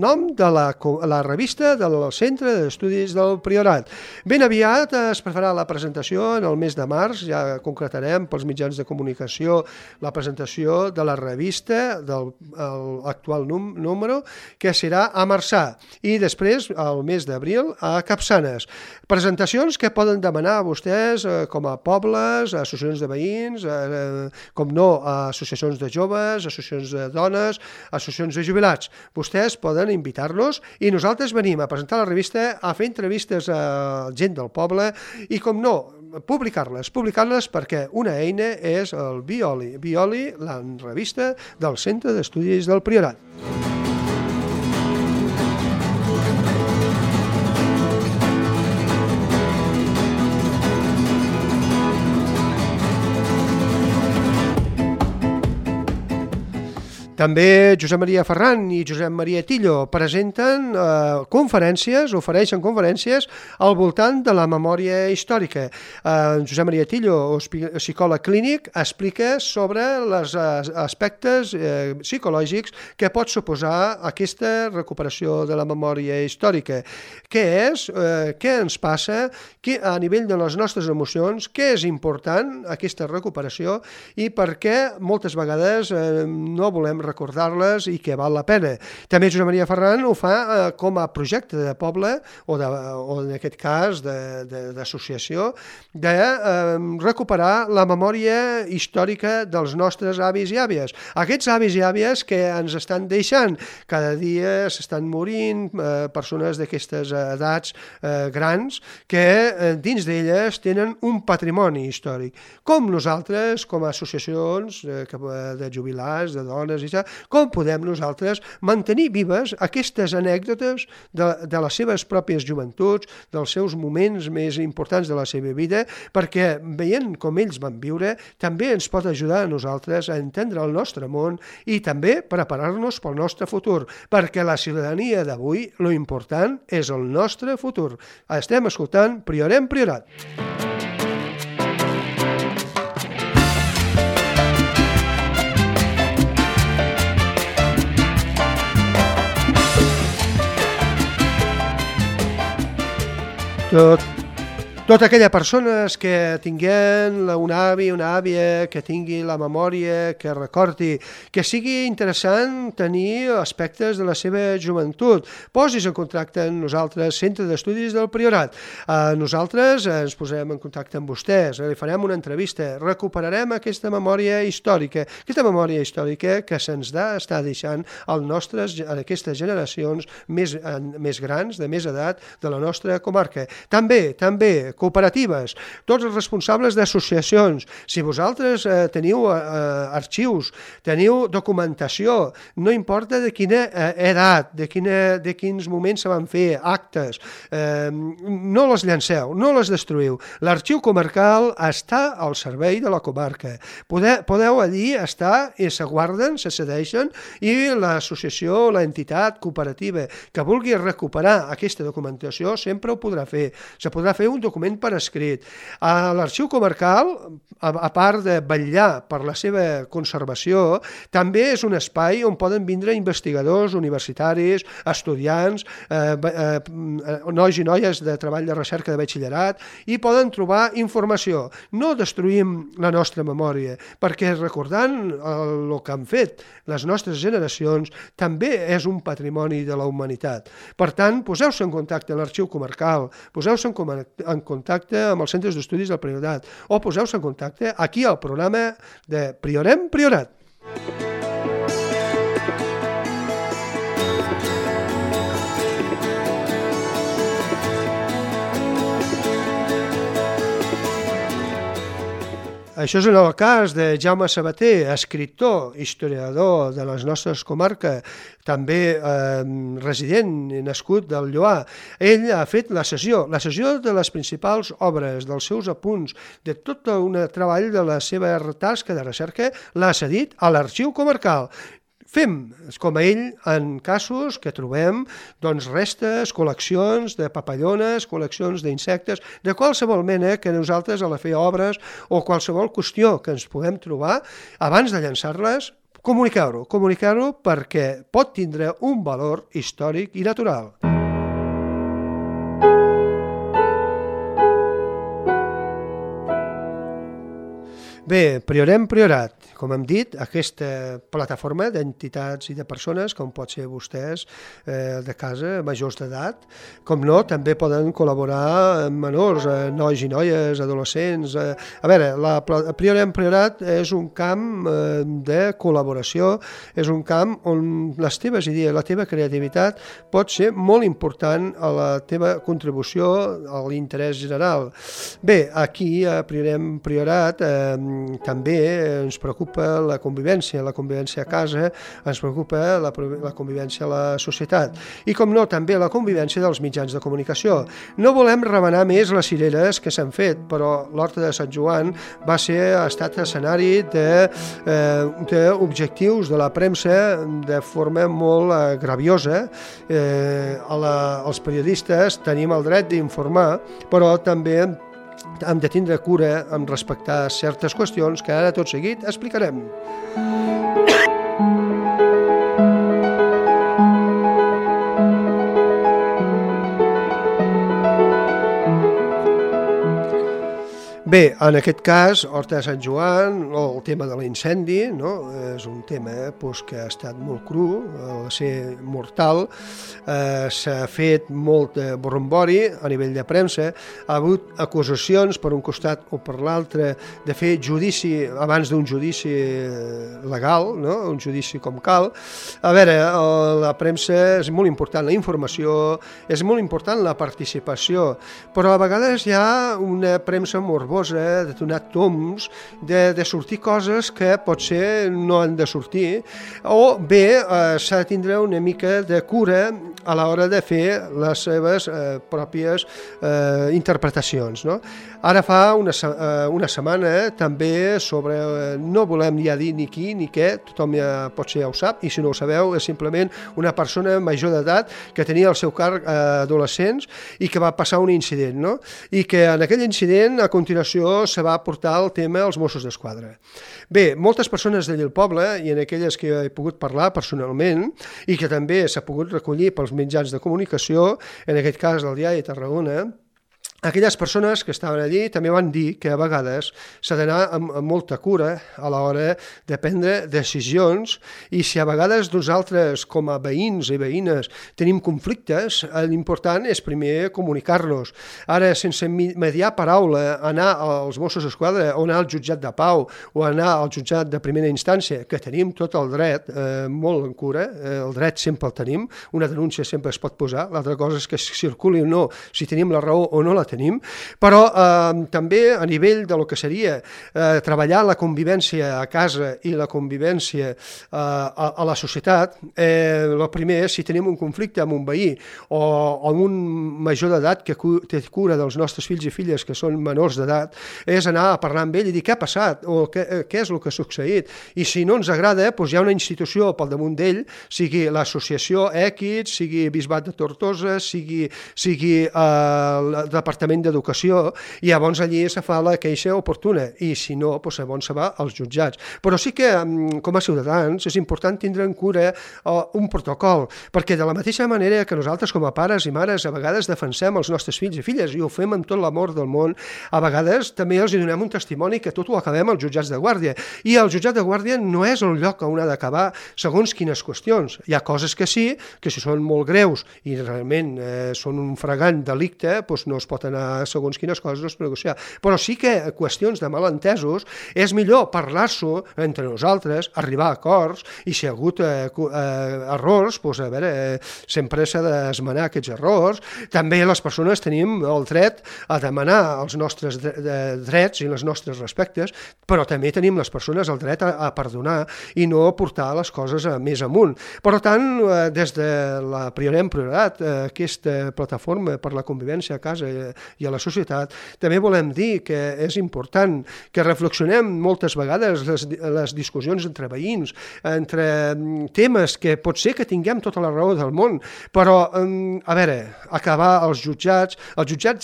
nom de la revista del Centre d'Estudis del Priorat. Ben aviat es farà la presentació en el mes de març, ja concretarem pels mitjans de comunicació la presentació de la revista del actual número, que serà a Marçà, i després, al mes d'abril, a Capçanes. Presentacions que poden demanar vostès com a pobles, associacions de veïns, com no, associacions de joves, associacions de dones, associacions de jubilats. Vostès poden invitar-nos i nosaltres venim a presentar la revista, a fer entrevistes a gent del poble i, com no, publicar-les perquè una eina és el Violi, la revista del Centre d'Estudis del Priorat. També Josep Maria Ferran i Josep Maria Tillo presenten ofereixen conferències al voltant de la memòria històrica. Josep Maria Tillo, psicòleg clínic, explica sobre els aspectes psicològics que pot suposar aquesta recuperació de la memòria històrica. Què és? Què ens passa? A nivell de les nostres emocions, què és important aquesta recuperació i per què moltes vegades no volem recordar-les i que val la pena. També Josep Maria Ferran ho fa com a projecte de poble o en aquest cas d'associació de recuperar la memòria històrica dels nostres avis i àvies. Aquests avis i àvies que ens estan deixant. Cada dia s'estan morint persones d'aquestes edats grans que dins d'elles tenen un patrimoni històric. Com nosaltres, com a associacions de jubilats, de dones i com podem nosaltres mantenir vives aquestes anècdotes de les seves pròpies joventuts, dels seus moments més importants de la seva vida, perquè veient com ells van viure també ens pot ajudar a nosaltres a entendre el nostre món i també preparar-nos pel nostre futur, perquè la ciutadania d'avui, lo important és el nostre futur. Estem escoltant Priorem Priorat. Totes aquelles persones que tinguin un avi, una àvia, que tingui la memòria, que recordi, que sigui interessant tenir aspectes de la seva joventut, posis en contacte amb nosaltres, Centre d'Estudis del Priorat. Nosaltres ens posem en contacte amb vostès, li farem una entrevista, recuperarem aquesta memòria històrica que se'ns està deixant aquestes generacions més grans, de més edat, de la nostra comarca. També cooperatives, tots els responsables d'associacions. Si vosaltres teniu arxius, teniu documentació, no importa de quina edat, de quins moments se van fer, actes, no les llanceu, no les destruïu. L'arxiu comarcal està al servei de la comarca. Podeu allí estar i se guarden, se cedeixen i l'associació, l'entitat cooperativa que vulgui recuperar aquesta documentació sempre ho podrà fer. Se podrà fer un document per escrit. L'arxiu comarcal, a part de vetllar per la seva conservació, també és un espai on poden vindre investigadors universitaris, estudiants, nois i noies de treball de recerca de batxillerat i poden trobar informació. No destruïm la nostra memòria, perquè recordant el que han fet les nostres generacions també és un patrimoni de la humanitat. Per tant, poseu-se en contacte amb l'arxiu comarcal, poseu-se en contacte amb els centres d'estudis del Priorat o poseu-se en contacte aquí al programa de Priorem Priorat. Això és en el cas de Jaume Sabater, escriptor, historiador de les nostres comarques, també resident i nascut del Lloar. Ell ha fet la sessió de les principals obres, dels seus apunts, de tot un treball de la seva tasca de recerca, l'ha cedit a l'arxiu comarcal. fem com a ell en casos que trobem restes, col·leccions de papallones, col·leccions d'insectes, de qualsevol mena que nosaltres a la fer obres o qualsevol qüestió que ens puguem trobar, abans de llançar-les, comunicar-ho perquè pot tindre un valor històric i natural. Bé, Priorem Priorat, com hem dit, aquesta plataforma d'entitats i de persones, com pot ser vostès de casa, majors d'edat, com no, també poden col·laborar amb menors, nois i noies, adolescents. A veure, Priorem Priorat és un camp de col·laboració, és un camp on les teves idees, la teva creativitat pot ser molt important a la teva contribució a l'interès general. Bé, aquí a Priorem Priorat també ens preocupa la convivència a casa, ens preocupa la convivència a la societat i, com no, també la convivència dels mitjans de comunicació. No volem remenar més les cireres que s'han fet, però l'Horta de Sant Joan ha estat escenari d'objectius de la premsa de forma molt graviosa. Els periodistes tenim el dret d'informar, però també hem de tindre cura en respectar certes qüestions que ara tot seguit explicarem. Bé, en aquest cas, Horta de Sant Joan, el tema de l'incendi, és un tema que ha estat molt cru, va ser mortal, s'ha fet molt brombori a nivell de premsa, ha hagut acusacions per un costat o per l'altre de fer judici abans d'un judici legal, un judici com cal. A veure, la premsa és molt important, la informació, és molt important la participació, però a vegades hi ha una premsa morbosa de donar toms, de sortir coses que potser no han de sortir, o bé s'ha de tindre una mica de cura a l'hora de fer les seves pròpies interpretacions. Ara fa una setmana també sobre, no volem ja dir ni qui ni què, tothom ja potser ja ho sap, i si no ho sabeu és simplement una persona major d'edat que tenia al seu càrrec adolescents i que va passar un incident, i que en aquell incident a continuació se va portar el tema als Mossos d'Esquadra. Bé, moltes persones d'allà al poble, i en aquelles que he pogut parlar personalment, i que també s'ha pogut recollir pels mitjans de comunicació, en aquest cas del Diari de Tarragona, aquelles persones que estaven allí també van dir que a vegades s'ha d'anar amb molta cura a l'hora de prendre decisions, i si a vegades nosaltres com a veïns i veïnes tenim conflictes, l'important és primer comunicar-los. Ara, sense mediar paraula, anar als Mossos d'Esquadra o anar al jutjat de pau o anar al jutjat de primera instància, que tenim tot el dret molt en cura, el dret sempre el tenim, una denúncia sempre es pot posar, l'altra cosa és que circuli o no, si tenim la raó o no la tenim, però també a nivell de lo que seria treballar la convivència a casa i la convivència a la societat, el primer és, si tenim un conflicte amb un veí o amb un major d'edat que té cura dels nostres fills i filles que són menors d'edat, és anar a parlar amb ell i dir què ha passat o què és el que ha succeït, i si no ens agrada, doncs hi ha una institució pel damunt d'ell, sigui l'associació Equits, sigui Bisbat de Tortosa, sigui el Departament d'Educació, i llavors allí se fa la queixa oportuna, i si no, doncs llavors se va als jutjats. Però sí que, com a ciutadans, és important tindre en cura un protocol, perquè de la mateixa manera que nosaltres com a pares i mares a vegades defensem els nostres fills i filles, i ho fem amb tot l'amor del món, a vegades també els donem un testimoni que tot ho acabem als jutjats de guàrdia, i el jutjat de guàrdia no és el lloc on ha d'acabar segons quines qüestions. Hi ha coses que sí, que si són molt greus i realment són un flagrant delicte, doncs no es pot anar segons quines coses no es pot negociar. Però sí que qüestions de malentesos és millor parlar-s'ho entre nosaltres, arribar a acords, i si hi ha hagut errors, doncs a veure, sempre s'ha d'esmenar aquests errors. També les persones tenim el dret a demanar els nostres drets i els nostres respectes, però també tenim les persones el dret a perdonar i no portar les coses més amunt. Per tant, des de la Priorem Priorat, aquesta plataforma per la convivència a casa i a la societat. També volem dir que és important que reflexionem moltes vegades les discussions entre veïns, entre temes que pot ser que tinguem tota la raó del món, però, a veure, acabar els jutjats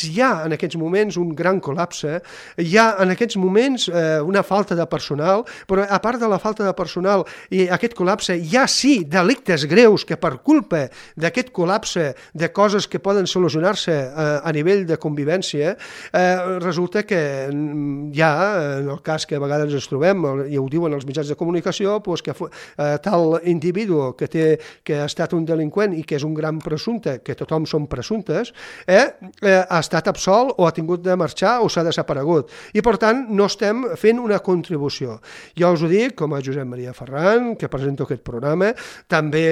hi ha en aquests moments un gran col·lapse, hi ha en aquests moments una falta de personal, però a part de la falta de personal i aquest col·lapse, hi ha sí delictes greus que per culpa d'aquest col·lapse de coses que poden solucionar-se a nivell de convivència, resulta que hi ha, en el cas que a vegades ens trobem, i ho diuen els mitjans de comunicació, que tal individu que ha estat un delinqüent i que és un gran presumpte, que tothom són presumptes, ha estat absolt o ha tingut de marxar o s'ha desaparegut. I per tant no estem fent una contribució. Jo us ho dic com a Josep Maria Ferran, que presento aquest programa, també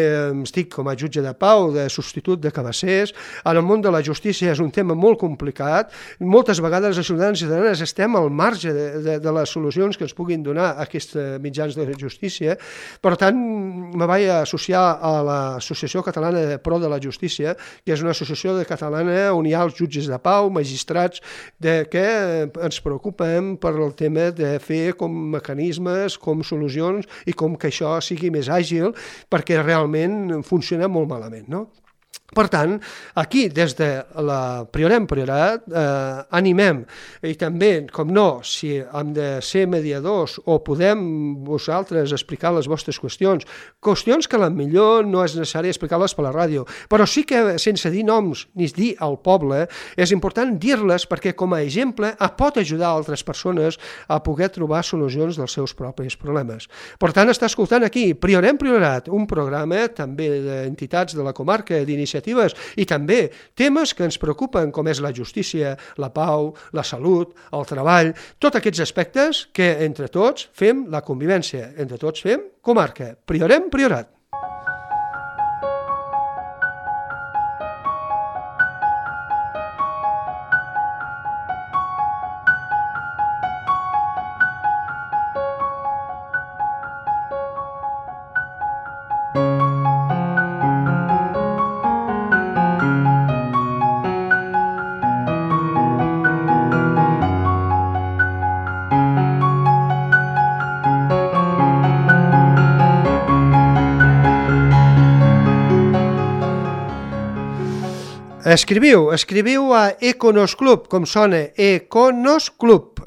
estic com a jutge de pau, de substitut de cabassers. En el món de la justícia és un tema molt complicat, moltes vegades els ciutadans i ciutadanes estem al marge de les solucions que ens puguin donar aquests mitjans de justícia. Per tant, me vaig associar a l'Associació Catalana de Pro de la Justícia, que és una associació catalana on hi ha els jutges de pau, magistrats, que ens preocupem per el tema de fer com mecanismes, com solucions i com que això sigui més àgil, perquè realment funciona molt malament, no? Per tant, aquí, des de la Priorem Priorat, animem, i també, com no, si hem de ser mediadors o podem vosaltres explicar les vostres qüestions que potser no és necessari explicar-les per la ràdio, però sí que sense dir noms ni dir al poble, és important dir-les perquè com a exemple pot ajudar altres persones a poder trobar solucions dels seus propis problemes. Per tant, està escoltant aquí Priorem Priorat, un programa també d'entitats de la comarca, d'iniciatives i també temes que ens preocupen com és la justícia, la pau, la salut, el treball, tots aquests aspectes que entre tots fem la convivència, entre tots fem comarca. Priorem Priorat. Escriviu a Econosclub, com sona, econosclub,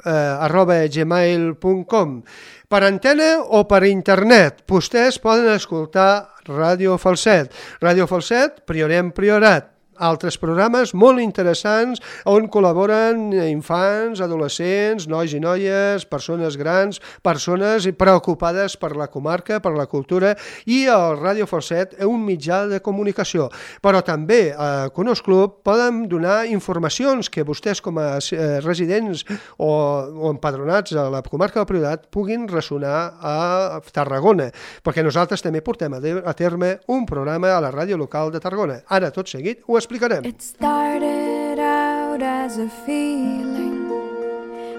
@gmail.com. Per antena o per internet, vostès poden escoltar Ràdio Falset. Ràdio Falset, Priorem Priorat. Altres programes molt interessants on col·laboren infants, adolescents, nois i noies, persones grans, persones preocupades per la comarca, per la cultura, i el Ràdio Falset és un mitjà de comunicació. Però també a Conosclub poden donar informacions que vostès com a residents o empadronats a la comarca del Priorat puguin ressonar a Tarragona, perquè nosaltres també portem a terme un programa a la ràdio local de Tarragona. Ara, tot seguit, ho explicarem. It started out as a feeling,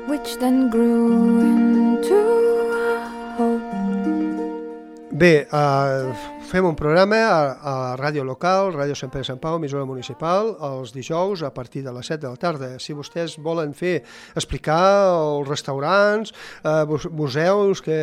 which then grew into a hope. Bé, fem un programa a ràdio local, Ràdio Sant Pere Sant Pau, emissora municipal, els dijous a partir de les 7 de la tarda. Si vostès volen explicar els restaurants, museus que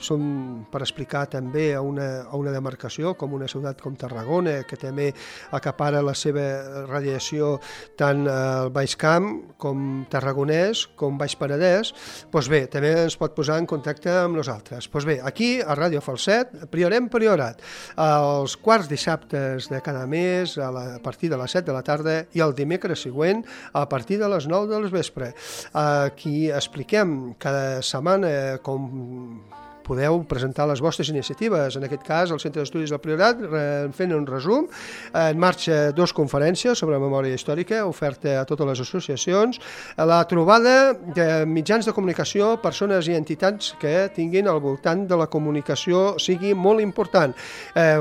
són per explicar també a una demarcació com una ciutat com Tarragona, que també acapara la seva radiació tant al Baix Camp com Tarragonès com Baix Penedès, doncs bé, també ens pot posar en contacte amb nosaltres. Doncs bé, aquí a Ràdio Falset, Priorem Priorat, els quarts dissabtes de cada mes a partir de les 7 de la tarda i el dimecres següent a partir de les 9 del vespre. Aquí expliquem cada setmana com podeu presentar les vostres iniciatives. En aquest cas, el Centre d'Estudis del Priorat, fent un resum, en marxa 2 conferències sobre memòria històrica, oferta a totes les associacions, la trobada de mitjans de comunicació, persones i entitats que tinguin al voltant de la comunicació sigui molt important.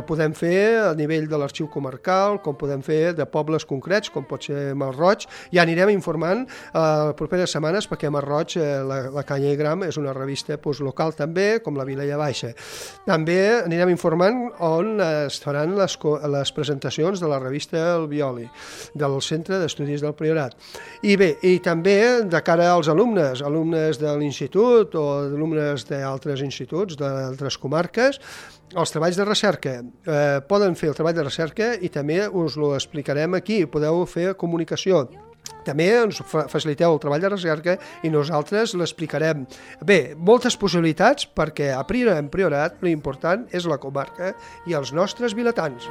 Podem fer a nivell de l'arxiu comarcal, com podem fer de pobles concrets, com pot ser Masroig, i anirem informant les properes setmanes, perquè Masroig, la Canya i Gram, és una revista local també, com la Vilella Baixa. També anirem informant on es faran les presentacions de la revista El Violi, del Centre d'Estudis del Priorat. I bé, i també de cara als alumnes de l'institut o alumnes d'altres instituts, d'altres comarques, els treballs de recerca. Poden fer el treball de recerca i també us ho explicarem aquí, podeu fer comunicació. També ens faciliteu el treball de recerca i nosaltres l'explicarem. Bé, moltes possibilitats perquè a Priorat l'important és la comarca i els nostres vilatans.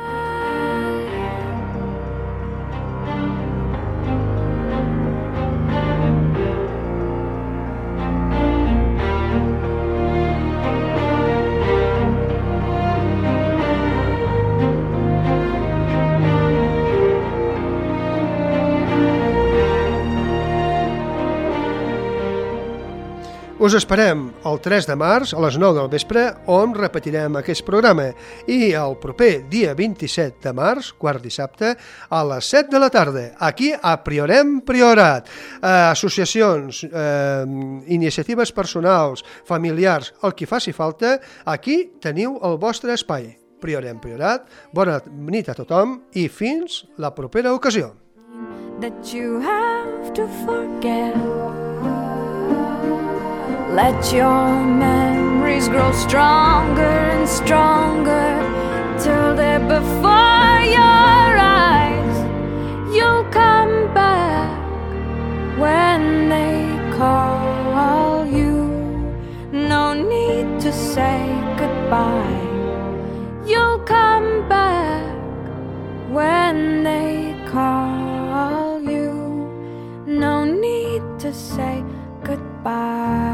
Us esperem el 3 de març a les 9 del vespre, on repetirem aquest programa, i el proper dia 27 de març, quart dissabte, a les 7 de la tarda, aquí a Priorat. Associacions, iniciatives personals, familiars, el que faci falta, aquí teniu el vostre espai. Priorat, bona nit a tothom i fins la propera ocasió. That you have to forget. Let your memories grow stronger and stronger till they're before your eyes. You'll come back when they call you. No need to say goodbye. You'll come back when they call you. No need to say goodbye.